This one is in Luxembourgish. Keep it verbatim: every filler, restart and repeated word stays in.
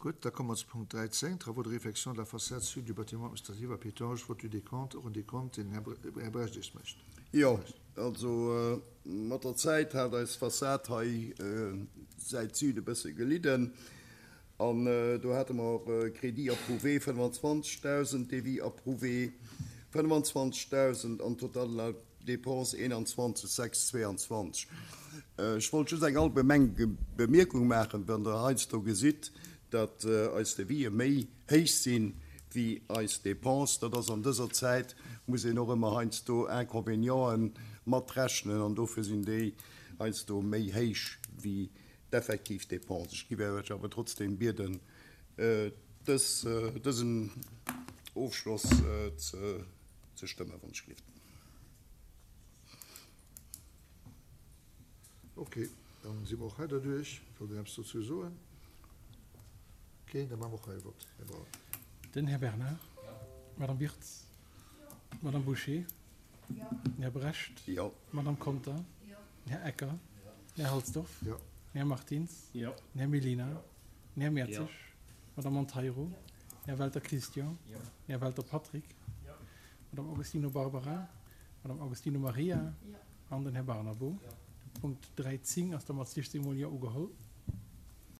Gutt, da komme mer zu Punkt dräizéng, Travaux de réfection de la façade sud du bâtiment administratif à Pétange, Vote du décompte, och en Décompte, deen den Här Brecht eis mécht. Jo, also mat der Zäit hat eis Fassad hei Säit Süd e bësse gelidden an do hate mer Crédit approuvé fënnefanzwanzegdausend, Devis approuvé fënnefanzwanzegdausend an total de la dépense eenanzwanzeg sechs zweiundzwanzeg. Ech wollt just eng allgemeng Bemierkung maachen, Wann Der heiansdo gesitt, datt eis Devisë méi héich sinn wéi eis Dépenses, dat ass an dëser Zäit, muss een och ëmmer heiansdo Inconvénienten matrechnen an dofir sinn déi heiansdo méi héich wéi d'effektiv Dépenses. Ech géif Iech awer trotzdem bieden, dës, dësen Ofschloss ze stëmmen, wann ech gelift. Ok, dann si mer och hei derduerch. Wëllt een eppes dozou soen? Keen? Da maache mer och hei e Vott. Här Braun. Den Här Bernard. Jo. D'Madame Wirtz. Jo. D'Madame Bouché. Jo. Den Här Brecht. Jo. D'Madame Conter. Jo. Den Här Ecker. Jo. Den Här Halsdorf. Jo. Den Här Martins. Jo. Den Här Mellina. Jo. Den Här Mertzig. Jo. D'Madame Monteiro. Jo. Den Här Welter Christian. Jo. Den Här Welter Patrick. Jo. D'Madame Augustino Barbara. D'Madame Augustino Maria. Jo. An den Här Barnabo. Jo. De Punkt dräizéng ass da mat siechzéng mol Jo ugeholl.